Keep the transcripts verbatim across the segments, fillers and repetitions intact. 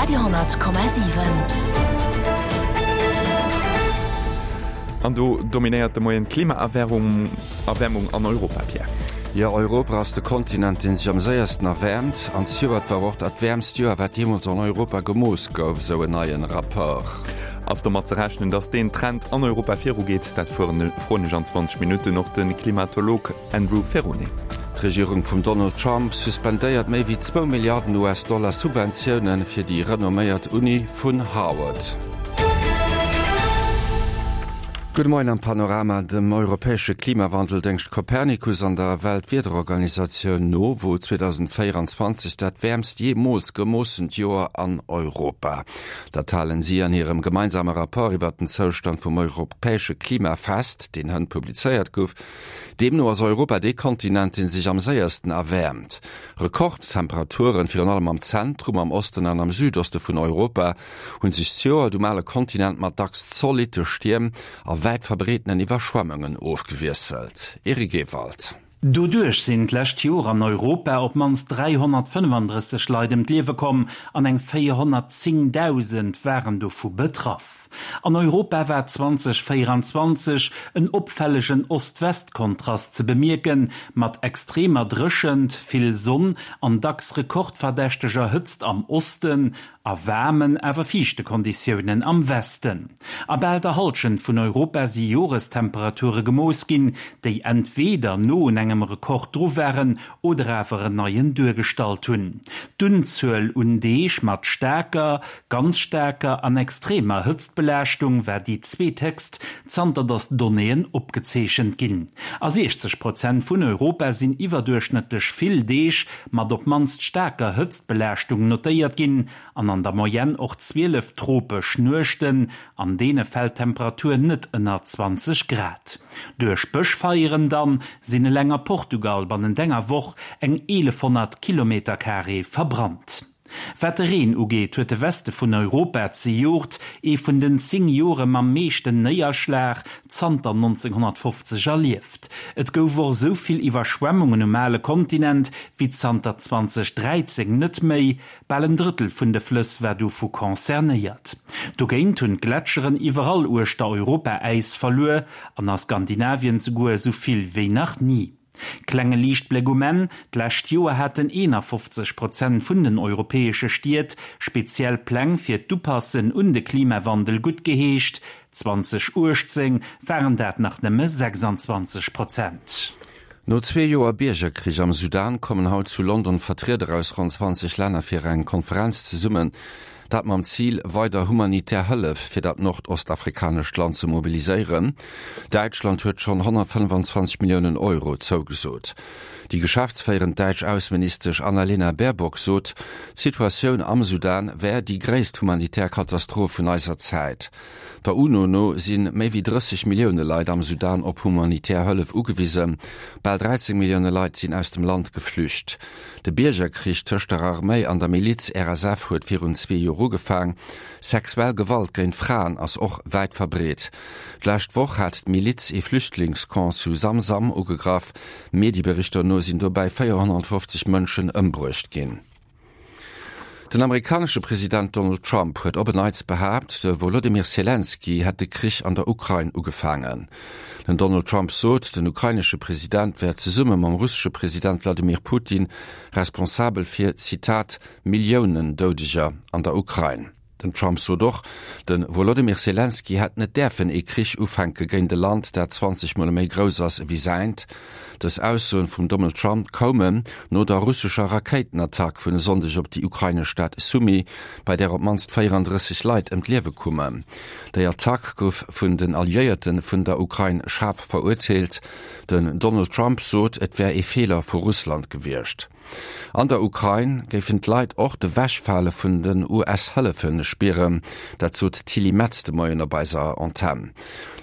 Radio honnert Komma siwen. An do dominéiert de Moien d'Klimaerwärmung Erwärmung an Europa, Pierre. Jo, Europa ass de Kontinent, dee sech am séiersten erwäermt. An zejoert war och dat wäermst Joer, wat jeemools an Europa gemooss gouf, esou en neien Rapport. Ass domat ze rechnen, datt deen Trend an Europa virugeet? Dat froen ech an zwanzeg Minutten och de Klimatolog Andrew Ferrone. D'Regierung vum Donald Trump suspendéiert méi wéi zwou Milliarden US-Dollar Subventioune fir déi renomméiert Uni vun Harvard. Gudde Moien am Panorama. Dem europäesche Klimawandeldéngscht Copernicus an der Weltwiederorganisatioun no wor zweedausendvéierundzwanzeg dat wäermst jeemools gemoossent Joer an Europa. Dat halen si an hirem gemeinsame Rapport iwwer den Zoustand vum europäesche Klima fest, deen hënt publizéiert gouf. Deemno ass Europa dee Kontinent, dee sech am séiersten erwäermt. Rekordtemperaturen, virun allem am Zentrum, am Osten an am Südoste vun Europa, hunn sech zejoert um ale Kontinent mat dacks zolitte Stierm a wäit verbreetenen Iwwerschwemmungen ofgewiesselt. Eric Ewald. Doduerch sinn d'lescht Joer an Europa op d'mannst dräihonnertfënnefandrësseg Leit ëm d'Liewe komm an eng véierhonnertzéngdausend waren dovu betraff. An Europa war zweitausendvéierundzwanzeg en opfällegen Ost-West-Kontrast ze bemierken, mat extremer Dréchent, vill Sonn an dacks rekordverdächteger Hëtzt am Osten a waarmen, awer fiichte Konditiounen am Westen. A bal der Hallschent vun Europa si Jorestemperature gemooss ginn, déi entweeder no un engem Rekord dru waren oder awer en neien duergestallt hunn. D'Unzuel un Deeg mat staarker, ganz staarker an extremer Hëtztbelaaschtung war déi zweethéchst, zanter datt d'Donnéeën opgezeechent ginn. A siechzeg Prozent vun Europa sinn iwwerduerchschnëttlech vill Deeg mat op d'mannst staarker Hëtztbelaaschtung notéiert ginn an an der Moyenne och zwielef tropesch Nuechten, an deene fält d'Temperatur net ënner zwanzeg Grad. Duerch Bëschfeieren dann sinn eleng a Portugal bannent enger Woch eng eelefhonnert Kilometercarré verbrannt. Wat de Reen ugeet, huet de Weste vun Europa zejoert ee vun den zéng Jore mam meeschten Néierschlag zanter nonzénghonnertfofzeg erlieft. Et gouf och esou vill Iwwerschwemmungen um ale Kontinent wéi zanter zweitausendräizéng net méi. Bal en Drëttel vun de Flëss war dovu concernéiert. Dogéint hunn d'Gletscheren iwwerall uechter Europa Äis verluer, an a Skandinavien souguer esou vill wéi nach ni. Klenge Liichtbléck um Enn, D'lescht Joer haten eenafofzeg Prozent vun den europäesche Stied speziell Pläng fir d'Upassen un de Klimawandel guttgeheescht, zweitausenduechtzéng waren dat nach nëmme sechsandzwanzeg Prozent. No zwee Joer Biergerkrich am Sudan kommen haut zu London Vertrieder aus ronn zwanzeg Länner fir eng Konferenz zesummen. Dat mam Zil, weider humanitär Hëllef fir dat nordostafrikanescht Land ze mobiliséieren. Däitschland huet schonn honnertfënnefenzwanzeg Milliounen Euro zougesot. Déi geschäftsféierend däitsch Ausseministesch Annalena Baerbock sot, d'Situatioun am Sudan wär déi gréisst humanitär Katastroph vun eiser Zäit. Der UNO no si méi wéi drësseg Millioune Leit am Sudan op humanitär Hëllef ugewisen. Bal dräizéng Millioune Leit sinn aus dem Land geflücht. De Biergerkrich tëscht der Arméi an der Miliz R S F huet virun zwee Joer ugefaang. Sexuell Gewalt géint Fraen ass och wäit verbreet. D'lescht Woch hat d'Miliz ee Flüchtlingscamp zu Zamzam ugegraff. Medieberichter no sinn dobäi véierhonnertfofzeg Mënschen ëmbruecht ginn. Den amerikanesche President Donald Trump huet op en Neits behaapt, de Wolodymyr Selenskyj hätt de Krich an der Ukrain ugefaangen. Den Donald Trump sot, den ukrainesche President wär zesumme mam russesche President Wladimir Putin responsabel fir, Zitat, Milliounen Doudeger an der Ukrain. Den Trump sot och, de Wolodymyr Selenskyj hätt net däerfen ee Krich ufänke géint e Land, dat zwanzeg Mol méi grouss ass ewéi säint. Dës Aussoen vum Donald Trump koumen no der russescher Rakéitenattack vun e Sonndeg op déi ukrainesch Stad Sumy, bei där op d'mannst véierandrësseg Leit ëm d'Liewe koumen. Déi Attack gouf vun den Alliéierte vun der Ukrain schaarf verurteelt. Den Donald Trump sot, et wär ee Feeler vu Russland gewiescht. An der Ukrain géifen d'Leit och d'Ewechfale vun den U S-Hëllefe spieren, dat sot d'Tilly Metz de Moien op eiser Antenn.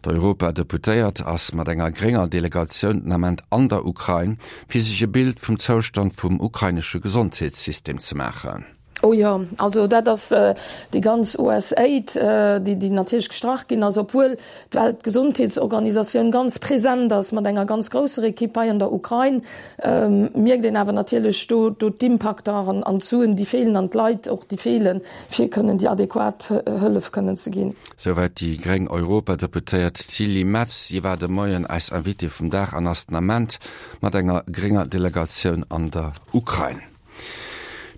D'Europadeputéiert ass mat enger grénger Delegatioun den Ament an der Ukrain, fir sech e Bild vum Zoustand vum ukrainesche Gesondheetssystem ze maachen. Oh jo, also dat ass déi ganz USAID, déi déi natierlech gestrach ginn ass, obwuel d'Weltgesondheetsorganisatioun ganz present ass mat enger ganz grousser Ekipp hei an der Ukrain, mierkt een awer natierlech do do d'Impakter an an d'Suen, déi feelen an d'Leit och, déi feelen, fir kënnen déi adequat Hëllef kënnen ze ginn. Souwäit déi gréng Europadeputéiert Tilly Metz. Si war de Moien eis Invitée vum Dag an ass den Ament mat enger grénger Delegatioun an der Ukrain.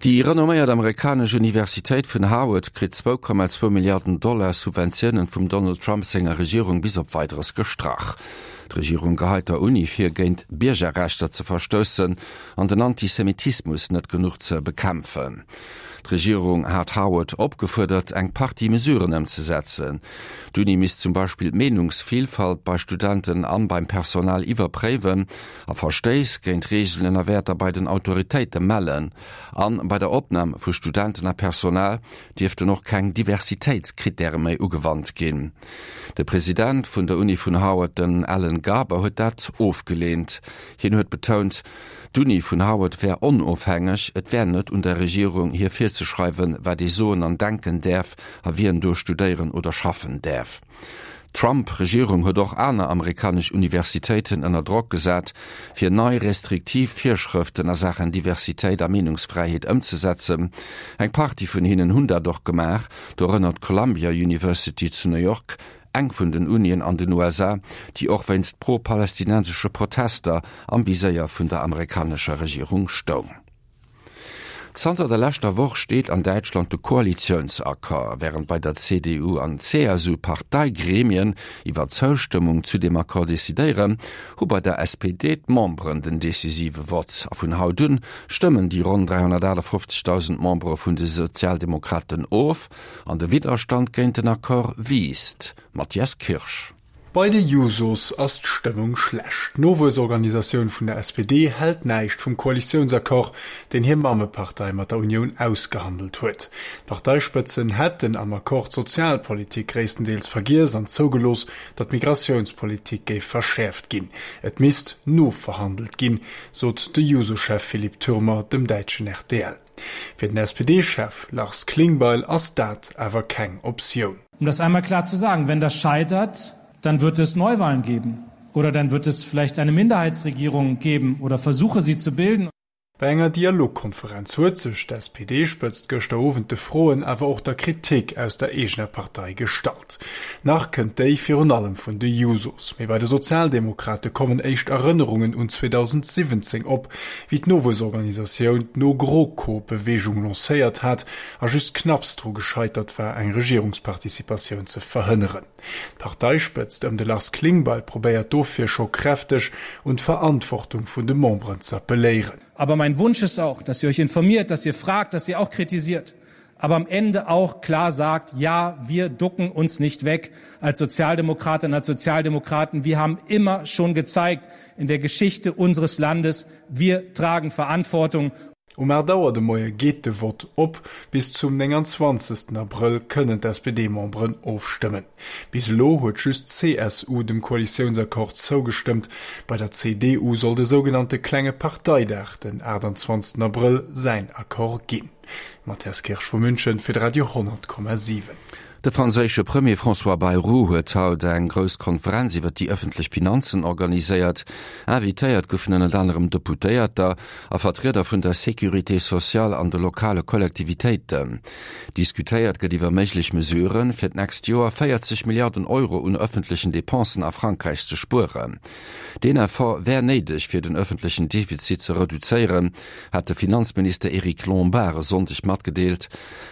Déi renomméiert amerikanesch Universitéit vun Harvard kritt zwou Komma zwou Milliarden Dollar Subventiounen vum Donald Trump senger Regierung bis op Weideres gestrach. D'Regierung geheit der Uni vir, géint Biergerrechter ze verstoussen an den Antisemitismus net genuch ze bekämpfen. D'Regierung hat Harvard opgefuerdert, eng Partie Mesuren ëmzesetzen. D'Uni misst zum Beispill d'Meenungsvilfalt bei Studenten an beim Personal iwwerpréiwen a Verstéiss géint Reegelen a Wäerter bei den Autoritéite mellen. An bei der Opnam vu Studenten a Personal dierften och keng Diversitéitskrittäre méi ugewannt ginn. De President vun der Uni vun Harvard, den Alan Garber, huet dat ofgeleent. Hien huet betount, d'Uni vun Harvard wär onofhängeg, et wär net un der Regierung, hir virzeschreiwen, wat ee soen an denken däerf a wien do studéieren oder schaffen däerf. D'Trump-Regierung huet och aner amerikanesch Universitéiten ënner Drock gesat, fir nei restriktiv Virschrëften a Saachen Diversitéit a Meenungsfräiheet ëmzesetzen. Eng Partie vun hinnen hunn dat och gemaach, dorënner d'Columbia University zu New York, eng vun den Unien an den U S A, déi och wéinst pro-palästinensesche Protester am Viséier vun der amerikanescher Regierung stoung. Zanter der leschter Woch steet an Däitschland de Koalitiounsaccord. Wärend bei der C D U an C S U d'Parteigremien iwwer d'Zoustëmmung zu deem Accord decidéieren, hu bei der S P D d'Memberen den decisive Vott. A vun haut un stëmmen déi ronn dräihonnertachtefofzegdausend Membere vun de Sozialdemokraten of an de Widderstand géint den Accord wiisst. Matthias Kirsch. Bei de Jusos ass d'Stëmmung schlecht. D'Nowuessorganisatioun vun der S P D hält näischt vum Koalitiounsaccord, deen hir Mammepartei mat der Unioun ausgehandelt huet. D'Parteispëtzen hätten am Accord d'Sozialpolitik gréisstendeels vergiess an zougelooss, datt d'Migratiounspolitik géif verschäerft ginn. Et misst noverhandelt ginn, sot de Juso-Chef Philipp Türmer dem däitschen R T L. Fir den S P D-Chef Lars Klingbeil ass dat awer keng Optioun. Um das einmal klar zu sagen, wenn das scheitert, dann wird es Neuwahlen geben oder dann wird es vielleicht eine Minderheitsregierung geben oder Versuche, sie zu bilden. Bei enger Dialogkonferenz huet sech d'S P D-Spëtzt gëschter Owend de Froen, awer och der Kritik aus der eegener Partei gestallt. Nach kënnt déi virun allem vun de Jusos. Mee bei de Sozialdemokrate kommen éischt Erënnerungen un zweedausendsiwwenzéng op, wéi d'Nowuessorganisatioun d'NoGroKo-Beweegung lancéiert hat a just knapps dru gescheitert war, eng Regierungsparticipatioun ze verhënneren. D'Parteispëtzt ëm de Lars Klingbeil probéiert dofir scho kräfteg un d'Verantwortung vun de Memberen ze appelléieren. Aber mein Wunsch ist auch, dass ihr euch informiert, dass ihr fragt, dass ihr auch kritisiert, aber am Ende auch klar sagt, ja, wir ducken uns nicht weg als Sozialdemokratinnen, als Sozialdemokraten. Wir haben immer schon gezeigt in der Geschichte unseres Landes, wir tragen Verantwortung. Um acht Auer de Moie geet de Vott op, bis zum neunundzwanzigsten April kënnen d'S P D-Memberen ofstëmmen. Bis elo huet just C S U dem Koalitiounsaccord zougestëmmt. Bei der C D U soll de sogenannte klenge Parteidag den achtundzwanzigsten April säin Accord ginn. Matthias Kirsch vu München fir Radio honnert Komma siwen. De franséische Premier François Bayrou huet haut eng grouss Konferenz iwwer déi ëffentlech Finanzen organiséiert. Invitéiert goufen ënnert anerem Deputéierter a Vertrieder vun der Sécurité sociale an de lokale Kollektivitéiten. Diskutéiert gëtt iwwer méiglech Mesuren, fir d'nächst Joer vierzig Milliarden Euro un ëffentlechen Depensen a Frankräich ze spueren. Den Effort wär néideg fir den ëffentlechen Defizit ze reduzéieren, hat de Finanzminister Éric Lombard e Sonndeg matgedeelt.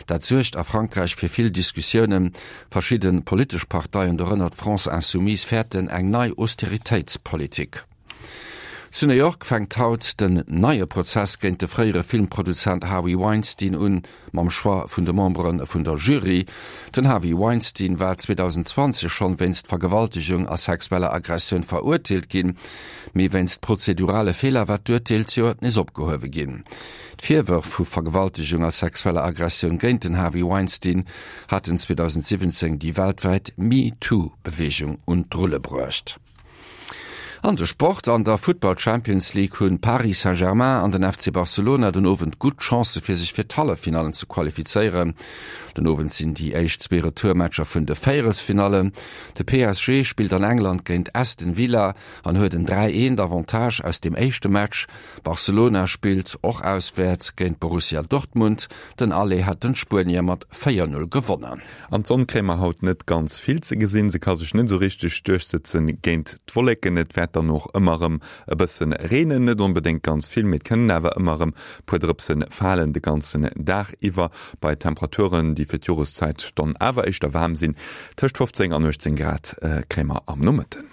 Dat suergt a Frankräich fir vill Diskussiounen. Verschiedene politesch Parteien, dorënner d'France Insoumise, fäerten eng nei Austeritéitspolitik. Zu New York fänkt haut den neie Prozess géint de fréiere Filmproduzent Harvey Weinstein un, mam Choix vun de Memberen vun der Jury. Den Harvey Weinstein war zweitausendzwanzig schon wéinst Vergewaltigung a sexueller Aggressioun verurteelt ginn, mee wéinst prozedurale Feeler war d'Urteel zejoert nees opgehuewe ginn. D'Virwërf vu Vergewaltigung a sexueller Aggressioun géint den Harvey Weinstein haten zweitausendsiwwenzéng déi weltwäit MeToo-Beweegung un d'Rulle bruecht. An de Sport, An der Futtball Champions League hunn Paris Saint-Germain an den F C Barcelona den Owend gutt Chancë fir sech fir d'Halleffinallen ze qualifizéieren. Den Owend sinn déi éischt zwee Retourmatcher vun de Véierelsfinallen. De P S G spillt an England géint Aston Villa an huet en dräi eent Avantage aus dem éischte Match. Barcelona spillt och auswäerts géint Borussia Dortmund. Den Aller hat den Spuenier mat véier null gewonnen. An d'Sonn kréie mer haut net ganz vill ze gesinn, se ka sech net esou richteg duerchsëtzen géint d'Wolleken. Et wäert dann och ëmmer erëm e bëssen reenen, net onbedéngt ganz vill, mee et kënnen awer ëmmer erëm puer Drëpse falen de ganzen Dag iwwer, bei Temperaturen, déi fir d'Joreszäit dann awer éischter waarm sinn, tëscht fofzéng an uechtzéng Grad kréie mer am Nomëtten.